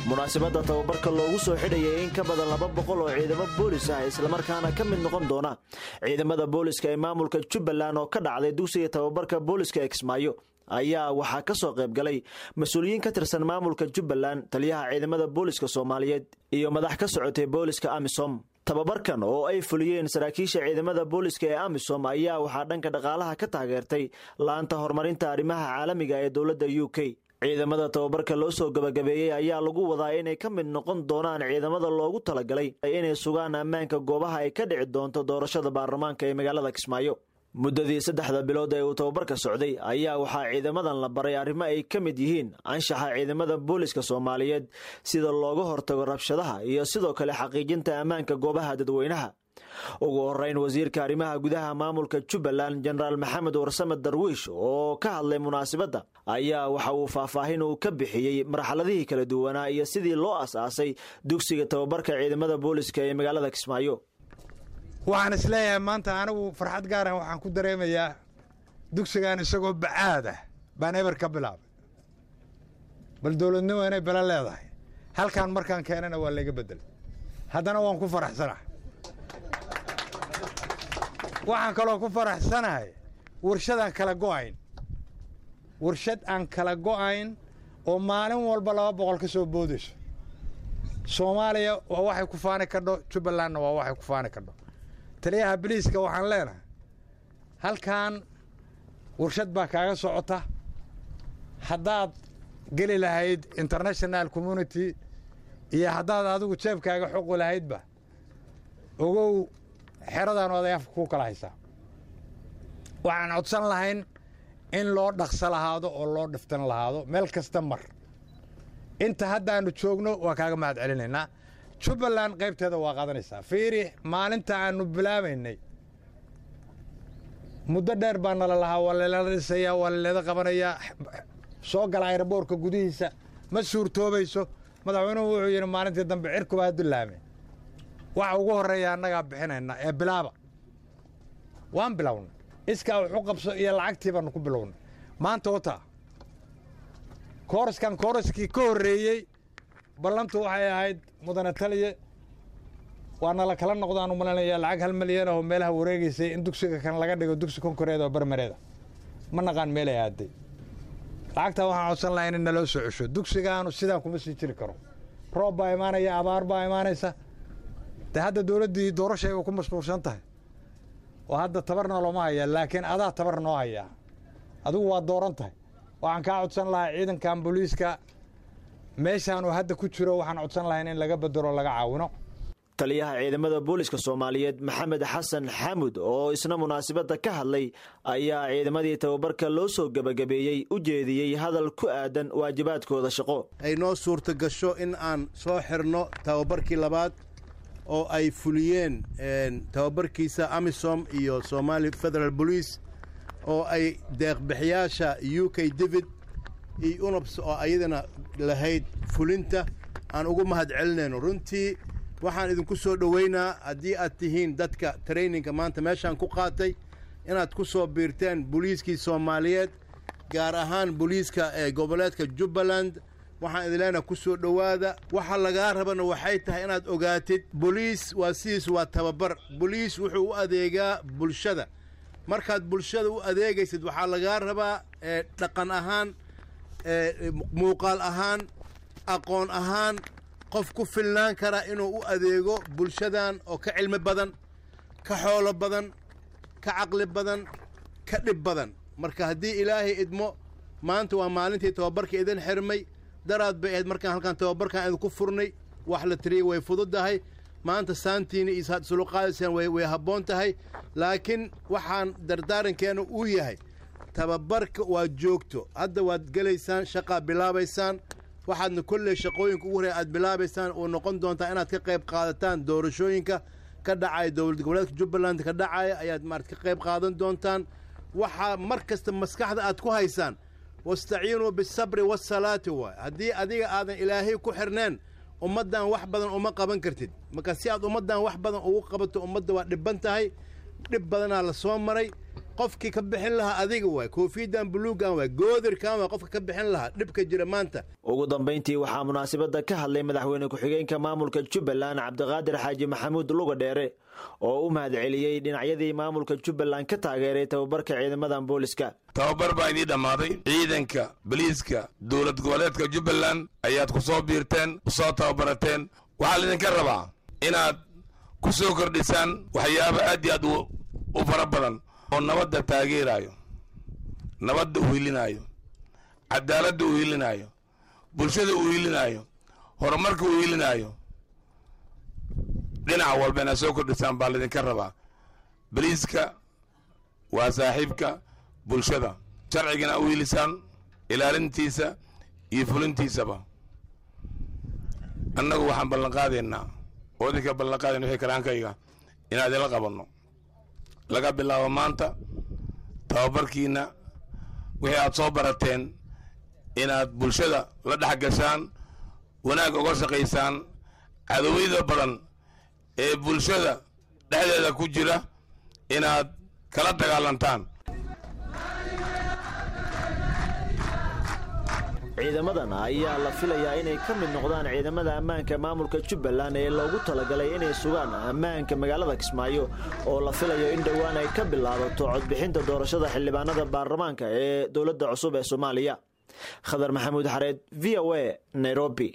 Munaasabadda tababarka loogu soo xidhayay in ka badan 200 oo ciidamo boolis ah, islamarkaana ka mid noqon doona ciidamada booliska ee maamulka Jubbaland, oo ka dhacday dugsiga tababarka booliska ee Kismaayo, ayaa waxaa ka soo qayb galay mas-uuliyiin ka tirsan maamulka Jubbaland, taliyaha ciidamada booliska Soomaaliyeed iyo madax ka socotay booliska AMISOM. Tababarkan oo ay fuliyeen saraakiisha ciidamada booliska ee AMISOM ayaa waxaa dhanka dhaqaalaha ka taageertay laanta horumarinta arrimaha caalamiga ee dowladda UK. Ciidamada tababarka loo soo gabagabeeyey ayaa lagu wadaa inay ka mid noqon doonaan ciidamada loogu talagalay inay sugaan ammaanka goobaha ay ka dhici doonto doorashada baarlamaanka ee magaalada Kismaayo. Muddadii 3da bilood ee uu tababarka socday ayaa waxaa ciidamadan la baray arrimo ay ka mid yihiin anshaxa ciidamada booliska Soomaaliyeed, sida looga hortago rabshadaha iyo sidoo kale xaqiijinta ammaanka goobaha dadweynaha. Ugu horeyn, wasiirka arrimaha gudaha maamulka Jubbaland, Jenaraal Maxamed Warsame Darwiish, oo ka hadlay munaasabadda ayaa waxa uu faahfaahin uu ka bixiyey marxaladihii kala duwanaa iyo sidii loo as-aasay dugsiga tababarka ciidamada booliska ee magaalada Kismaayo. Waxaan isleeyahay maanta anigu farxad gaaran waxaan ku dareemayaa dugsigan isagoo bacaad ah baan eber ka bilaabay. Bal dowladnimo inay belo leedahay, halkaan markaan keenana waa layga beddelay, haddana waan ku faraxsanahay. Waxaan kaloo ku faraxsanahay warshadaan kala go'ayn, warshad aan kala go'ayn oo maalin walba 200 ka soo boodayso. Soomaaliya waa waxay ku faani kadho, Jubbalandna waa waxay ku faani kadho. Taliyaha biliiska waxaan leenahay, halkan warshad baa kaaga socota. Haddaad geli lahayd international community iyo haddaad adigu jeebkaaga xoqi lahaydba, ogow xeradan oday afka ku kala haysaa. Waxaan codsan lahayn in loo dhaqso lahaado oo loo dhiftan lahaado meel kasta. Mar inta haddaannu joogno waa kaaga mahad celinaynaa. Jubbaland qaybteeda waa qaadanaysaa. Fiiri, maalinta aannu bilaabaynay muddo dheer baa nala lahaa waa lalala dhisayaa, waa laleeda qabanayaa, soo gala airport-ka gudihiisa ma suurtoobayso. Madaxweynuhu wuxuu yidhi maalintii dambe cirkuba ha dullaame, waxa ugu horreeya annagaa bixinayna ee bilaaba. Waan bilownay, iskaa waxu qabso iyo lacagtii baannu ku bilownay. Maanta wataa kooraskan, kooraskii ka horreeyey ballantu waxay ahayd, mudane taliye, waa nala kala noqdaan u malanaya lacag 1 milyan oo meelaha wareegaysay in dugsiga kan laga dhigo dugsi konkoreed oo barmareeda. Ma naqaan meelay aaday lacagtaa. Waxaan codsan lahaa in naloo soo cesho. Dugsigaanu sidaan kuma sii jiri karo. Roob baa imaanaya, abaar baa imaanaysa. De hadda dowladdii doorashay ku mashquulsan tahay oo hadda tabarna looma hayaa, laakiin adaa tabar noo hayaa, adigu waa dooran tahay. Waxaan kaa codsan lahaa ciidankan booliiska meeshaanuu hadda ku jiro, waxaan codsan lahayn in laga bedelo, laga caawino. Taliyaha ciidamada booliska Soomaaliyeed, Maxamed Xasan Xaamud, oo isna munaasabadda ka hadlay ayaa ciidamadii tababarka loo soo gebagabeeyey u jeediyey hadal ku aadan waajibaadkooda shaqo. Ay noo suurta gasho in aan soo xirno tababarkii labaad oo ay fuliyeen tababarkiisa AMISOM iyo Somali Federal Police, oo ay deeqbixiyaasha UK DFID iyo UNOPS oo ayadana lahayd fulinta aan ugu mahad celinayno. Runtii waxaan idinku soo dhoweynaa, haddii aad tihiin dadka training-ka maanta meeshaan ku qaatay, inaad ku soo biirteen booliiskii Soomaaliyeed, gaar ahaan booliiska ee goboleedka Jubbaland. Waxaan idin leenahay ku soo dhowaada. Waxa lagaa rabana waxay tahay inaad ogaatid boliis waa sidiis waa tababar. Boliis wuxuu u adeegaa bulshada. Markaad bulshada u adeegaysid, waxaa lagaa rabaa dhaqan ahaan, muuqaal ahaan, aqoon ahaan qof ku filnaan kara inuu u adeego bulshadan oo ka cilmi badan, ka xoolo badan, ka caqli badan, ka dhib badan. Marka haddii Ilaahay idmo, maanta waa maalintii tababarka idin xirmay. Daraad bay ahayd markaan halkaan tababarkaan idinku furnay. Wax la tiriyey way fududahay. Maanta saantiina iyo suluqaadaysaan way habboon tahay, laakiin waxaan dardaarankeena uu yahay tababarka waa joogto. Hadda waad gelaysaan, shaqaa bilaabaysaan. Waxaadna kolley shaqooyinka ugu horreya aad bilaabaysaan oo noqon doontaa inaad ka qayb qaadataan doorashooyinka ka dhacaya dowlad goboleedka Jubbaland ka dhacaya ayaad maarad ka qayb qaadan doontaan. Waxaa mar kasta maskaxda aad ku haysaan wastaciinuu bisabri wasalaati waay. Haddii adiga aadan Ilaahay ku xirneen, ummaddan wax badan uma qaban kartid. Marka si aad ummaddan wax badan ugu qabato, ummadda waa dhibban tahay, dhib badanaa la soo maray. Qofkii ka bixin lahaa adiga waay, koofiyadan buluugan waay, goodirkan waay qofka ka bixin lahaa dhibka jira maanta. Ugu dambayntii waxaa munaasabadda ka hadlay madaxweyne ku-xigeenka maamulka Jubbaland, Cabdiqaadir Xaaji Maxamuud Luga Dheere, oo u mahadceliyey dhinacyadii maamulka Jubbaland ka taageeray tababarka ciidamadan booliska. Tababar baa idiin dhammaaday. Ciidanka boliiska dowlad goboleedka Jubbaland ayaad ku soo biirteen, soo tababarateen. Waxaa laydinka rabaa inaad ku soo kordhisaan waxyaabo aad iyo aad u fara badan oo nabadda taageeraayo, nabadda u hilinaayo, cadaaladda u hilinaayo, bulshada u hilinaayo, horumarka u hilinaayo. Dhinac walba inaad soo kordhisaan baa laydinka rabaa. Boliiska waa saaxiibka bulshada, sharcigana u hilisaan ilaalintiisa iyo fulintiisaba. Annagu waxaan ballanqaadaynaa oo idinka ballanqaadayna wixii karaankayga inaan idinla qabanno laga bilaabo maanta tababarkiina. Wixii aad soo barateen inaad bulshada la dhex gashaan, wanaag uga shaqaysaan, cadowiyada badan ee bulshada dhexdeeda ku jira inaad kala dagaalantaan. Ciidamadan ayaa la filayaa inay ka mid noqdaan ciidamada ammaanka maamulka Jubbaland ee loogu talagalay inay sugaan ammaanka magaalada Kismaayo, oo la filayo in dhowaan ay ka bilaabato codbixinta doorashada xildhibaanada baarlamaanka ee dowladda cusub ee Soomaaliya. Khadar Maxamuud Xareed, VOA, Nairobi.